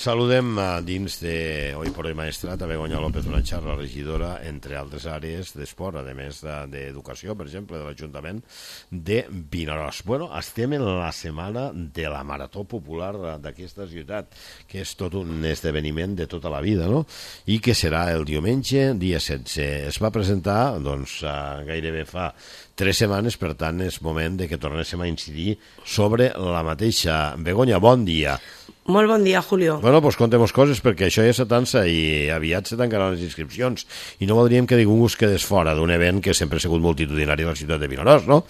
Saludem dins de Hoy por Hoy Maestrat a Begoña López, una xarra regidora, entre altres àrees d'esport, a més d'educació, per exemple, de l'Ajuntament de Vinaròs. Bueno, estem en la setmana de la Marató Popular d'aquesta ciutat, que és tot un esdeveniment de tota la vida, no? I que serà el diumenge, dia 16. Es va presentar, doncs, gairebé fa 3 setmanes, per tant, és moment de que tornéssim a incidir sobre la mateixa. Begoña, bon dia. Molt bon dia, Julio. Bueno, doncs contem coses, perquè això ja s'atança i aviat se tancaran les inscripcions i no voldríem que ningú es quedés fora d'un event que sempre ha sigut multitudinari a la ciutat de Vinaròs, no?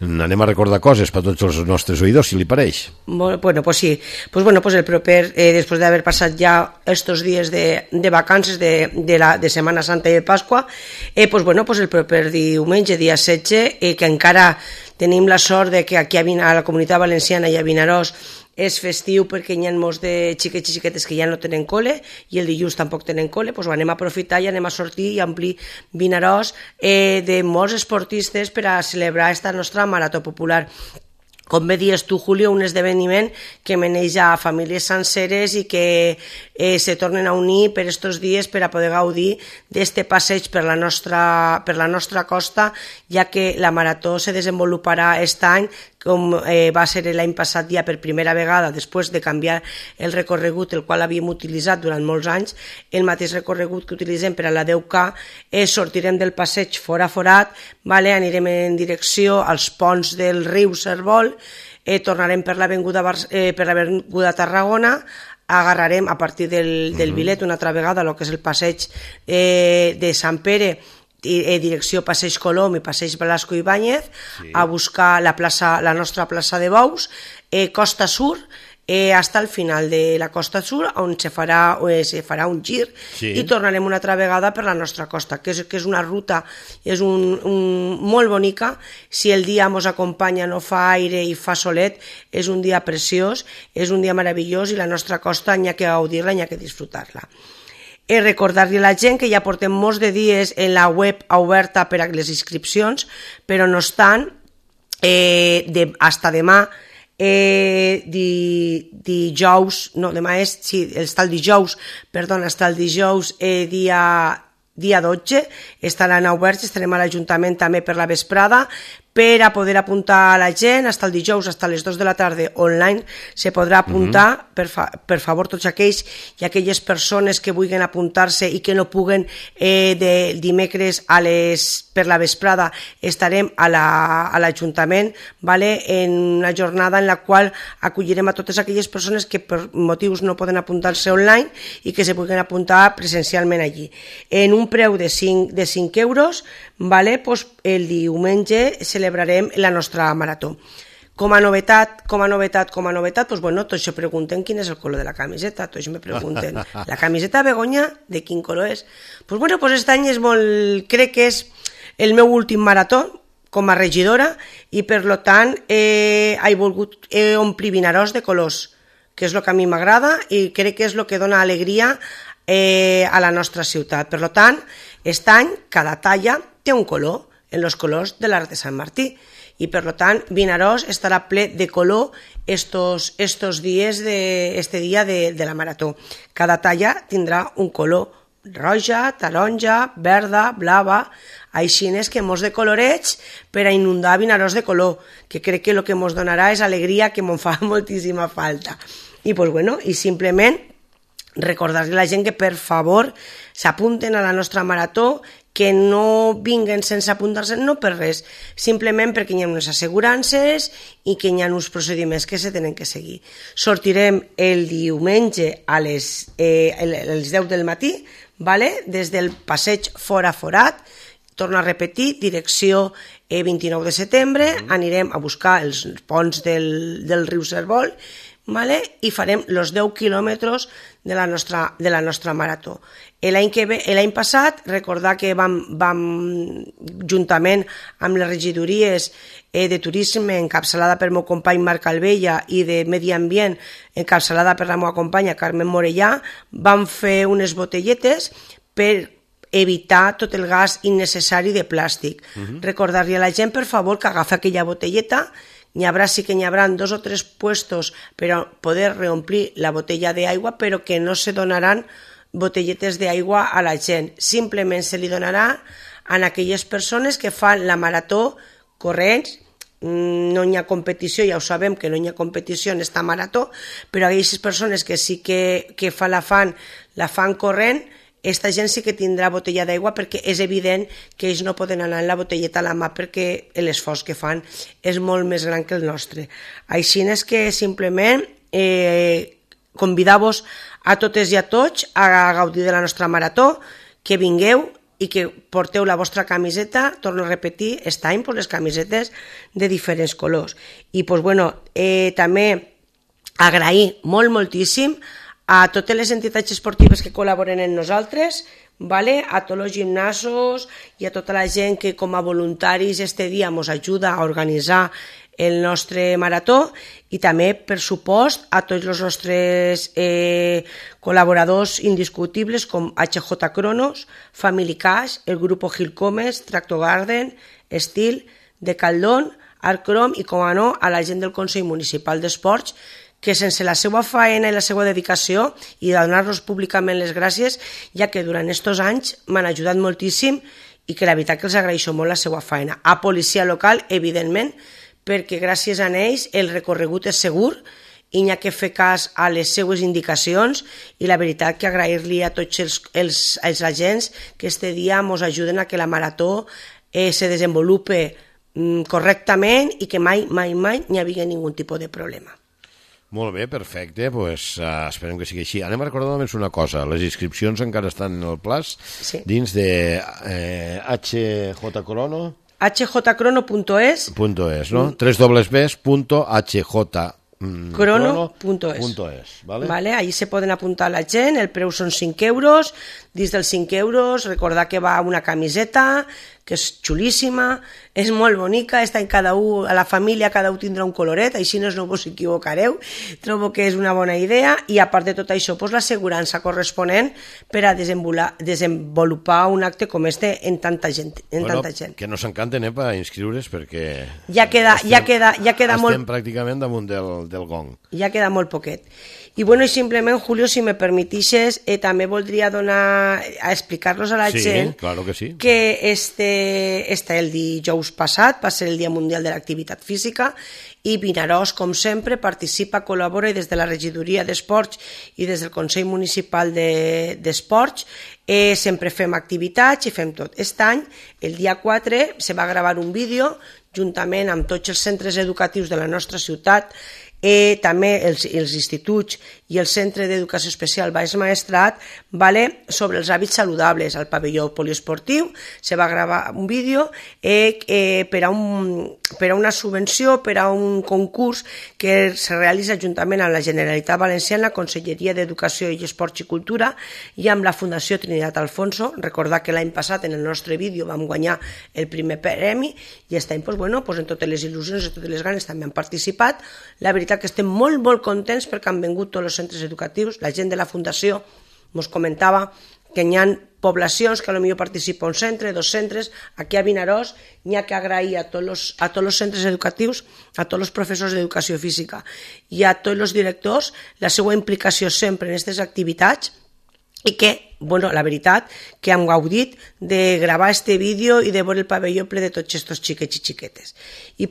Anem a recordar coses per tots els nostres oïdors, si li pareix. Bueno, pues sí. Pues el proper, després d'haver passat ja estos dies de vacances de Setmana Santa i de Pasqua, el proper diumenge, dia 16, que encara tenim la sort de que aquí a la Comunitat Valenciana i a Vinaròs és festiu perquè hi ha molts de xiquets i xiquetes que ja no tenen cole i el dilluns tampoc tenen cole, doncs anem a aprofitar i anem a sortir i omplir Vinaròs de molts esportistes per a celebrar esta nostra Marató Popular. Com bé dius tu, Julio, un esdeveniment que meneix a famílies senceres i que se tornen a unir per estos dies per a poder gaudir d'este passeig per la nostra costa, ja que la Marató se desenvoluparà aquest any, com va ser l'any passat ja per primera vegada, després de canviar el recorregut, el qual havíem utilitzat durant molts anys, el mateix recorregut que utilitzem per a la 10K, sortirem del passeig fora forat, anirem en direcció als ponts del riu Servol, tornarem per l'avinguda Tarragona, agarrarem a partir del Vilet una altra vegada el que és el passeig de Sant Pere, direcció Passeig Colom i Passeig Velasco Ibáñez, a buscar la nostra plaça de Bous, Costa Sur, hasta el final de la Costa Sur, on se farà un gir i tornarem una altra vegada per la nostra costa, que és una ruta molt bonica. Si el dia ens acompanya, no fa aire i fa solet, és un dia preciós, és un dia meravellós i la nostra costa n'hi ha que gaudir-la, n'hi ha que disfrutar-la. Recordar-li a la gent que ja portem molts de dies en la web oberta per a les inscripcions, però no estan hasta demà, hasta el dijous dia 12, estaran oberts, estarem a l'Ajuntament també per la vesprada, per a poder apuntar a la gent, fins el dijous, fins a les 2 de la tarda, online, se podrà apuntar, per favor, tots aquells i aquelles persones que vulguin apuntar-se i que no puguen de dimecres per la vesprada, estarem a l'Ajuntament en una jornada en la qual acollirem a totes aquelles persones que per motius no poden apuntar-se online i que se puguen apuntar presencialment allí. En un preu de 5 euros, el diumenge celebrarem la nostra marató. Com a novetat, tots se pregunten quin és el color de la camiseta, tots me pregunten, la camiseta, Begoña, de quin color és? Aquest any crec que és el meu últim marató com a regidora i per tant he volgut omplir Vinaròs de colors, que és el que a mi m'agrada i crec que és el que dona alegria a la nostra ciutat. Per tant, aquest any cada talla té un color, en els colors de l'Arc de Sant Martí, i per tant Vinaròs estarà ple de color estos dies este dia de la marató. Cada talla tindrà un color roja, taronja, verda, blava, així és que molts de colorets per a inundar Vinaròs de color, que crec que el que ens donarà és alegria, que me'n fa moltíssima falta. I simplement recordar-li a la gent que per favor s'apunten a la nostra marató, que no vinguen sense apuntar-se, no per res, simplement perquè hi ha unes assegurances i que hi ha uns procediments que se tenen que seguir. Sortirem el diumenge a les 10 del matí, des del passeig fora forat, torno a repetir, direcció 29 de setembre, anirem a buscar els ponts del riu Servol, i farem els 10 quilòmetres de la nostra marató. L'any passat, recordar que vam juntament amb les regidories de turisme encapçalada per meu company Marc Albella i de Medi Ambient encapçalada per la meva companya Carmen Morellà, vam fer unes botelletes per evitar tot el gas innecessari de plàstic. Recordar-li a la gent, per favor, que agafi aquella botelleta, n'hi haurà, sí que n'hi haurà 2 o 3 puestos per a poder reomplir la botella d'aigua, però que no se donaran botelletes d'aigua a la gent. Simplement se li donarà a aquelles persones que fan la marató corrents. No hi ha competició, ja ho sabem que no hi ha competició en esta marató, però aquelles persones que sí que la fan corrent, esta gent sí que tindrà botella d'aigua, perquè és evident que ells no poden anar amb la botelleta a la mà perquè l'esforç que fan és molt més gran que el nostre. Així és que simplement convidar-vos a totes i a tots a gaudir de la nostra marató, que vingueu i que porteu la vostra camiseta, torno a repetir, aquest any les camisetes de diferents colors. I també agrair moltíssim a totes les entitats esportives que col·laboren amb nosaltres, a tots els gimnasos i a tota la gent que com a voluntaris este dia ens ajuda a organitzar el nostre marató, i també, per supost, a tots els nostres col·laboradors indiscutibles com HJ Cronos, Family Cash, el grupo Gilcomes, Tractor Garden, Estil, Decaldón, Arcrom i, com a no, a la gent del Consell Municipal d'Esports, que sense la seva faena i la seva dedicació, i donar-los públicament les gràcies, ja que durant aquests anys m'han ajudat moltíssim i que la veritat que els agraeixo molt la seva faena. A policia local, evidentment, perquè gràcies a ells el recorregut és segur i n'hi ha que fer cas a les seues indicacions, i la veritat que agrair-li a tots els agents que este dia ens ajuden a que la marató se desenvolupe correctament i que mai n'hi havia ningun tipus de problema. Molt bé, perfecte, esperem que sigui així. Anem a recordar només una cosa, les inscripcions encara estan en el plaç, dins de HJ Crono, hjcrono.es, no? www.hjcrono.es, ¿vale? Allí se poden apuntar la gent, el preu són 5 euros, dins dels 5 euros recordar que va una camiseta que és xulíssima, és molt bonica, està en cada un, a la família cada un tindrà un coloret, així no us equivocareu, trobo que és una bona idea, i a part de tot això, l'assegurança corresponent per a desenvolupar un acte com este en tanta gent. Que nos encanten per inscriure's, perquè estem pràcticament damunt del gong. Ja queda molt poquet. I simplement, Julio, si me permitixes, també voldria explicar-los a la gent que el dijous passat va ser el Dia Mundial de l'Activitat Física, i Vinaròs, com sempre, participa, col·labora, i des de la Regidoria d'Esports i des del Consell Municipal d'Esports sempre fem activitats i fem tot. Aquest any, el dia 4, se va gravar un vídeo juntament amb tots els centres educatius de la nostra ciutat, també els instituts i el Centre d'Educació Especial Baix Maestrat, sobre els hàbits saludables. Al pavelló poliesportiu se va gravar un vídeo per a una subvenció, per a un concurs que se realitza juntament amb la Generalitat Valenciana, la Conselleria d'Educació i Esports i Cultura i amb la Fundació Trinitat Alfonso. Recordar que l'any passat en el nostre vídeo vam guanyar el primer premi, i aquest any en totes les il·lusions i totes les ganes també han participat. La veritat que estem molt contents perquè han vingut tots els centres educatius. La gent de la Fundació ens comentava que hi ha poblacions que potser participa un centre, 2 centres. Aquí a Vinaròs n'hi ha que agrair a tots els centres educatius, a tots els professors d'educació física i a tots els directors la seva implicació sempre en aquestes activitats, i que, la veritat, que hem gaudit de gravar este vídeo i de veure el pavelló ple de tots aquests xiquets i xiquetes. I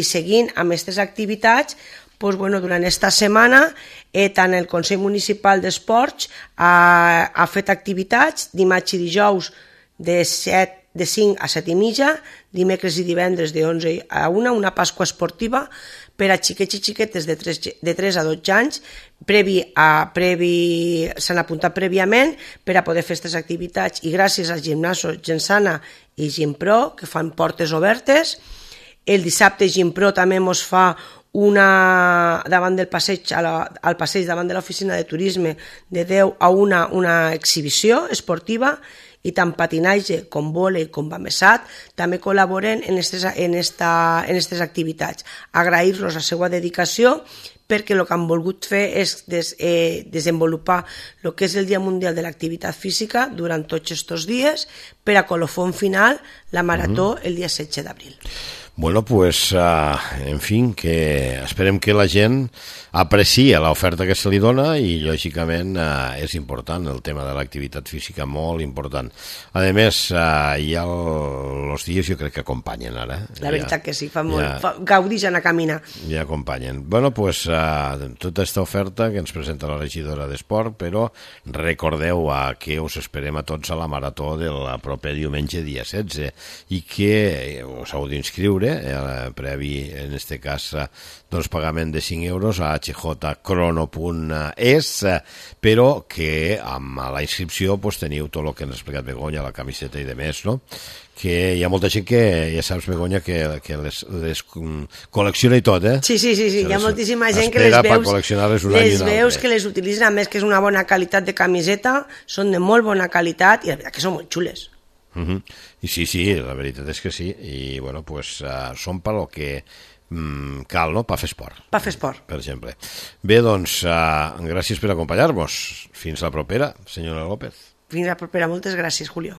seguint amb aquestes activitats, durant esta setmana, tant el Consell Municipal d'Esports ha fet activitats dimarts i dijous de 5 a 7 i mitja, dimecres i divendres de 11 a 1, una Pasqua esportiva per a xiquets i xiquetes de 3 a 12 anys, s'han apuntat prèviament per a poder fer aquestes activitats, i gràcies als gimnasos Gensana i Gimpro, que fan portes obertes. El dissabte Gimpro també ens fa davant del passeig, al passeig davant de l'oficina de turisme, de 10 a 1, una exhibició esportiva, i tant patinatge com vòlei com bamesat també col·laboren en aquestes activitats. Agrair-los la seva dedicació, perquè el que han volgut fer és desenvolupar el que és el Dia Mundial de l'Activitat Física durant tots aquests dies per a colofón final la marató el dia 16 d'abril. Bueno, pues, en fin, que esperem que la gent aprecia l'oferta que se li dona i, lògicament, és important el tema de l'activitat física, molt important. A més, ja els dies jo crec que acompanyen ara. La veritat que sí, fa molt. Gaudix anar a caminar. Ja acompanyen. Bueno, pues, tota aquesta oferta que ens presenta la regidora d'Esport, però recordeu que us esperem a tots a la marató del proper diumenge dia 16 i que us heu d'inscriure previ, en este cas, doncs pagament de 5 euros a hjcrono.es, però que amb la inscripció pues, teniu tot el que ens ha explicat Begoña, la camiseta i de més, no? Que hi ha molta gent que, ja saps, Begoña, que les col·lecciona i tot, eh? Sí, hi ha moltíssima gent que les veus que les utilitzen, a més que és una bona qualitat de camiseta, són de molt bona qualitat i la veritat que són molt xules. I sí, la veritat és que sí, i bueno, pues són per lo que cal, no?, per fer esport. Per fer esport. Per exemple. Bé, doncs, gràcies per acompanyar-nos. Fins la propera, senyora López. Fins la propera, moltes gràcies, Julio.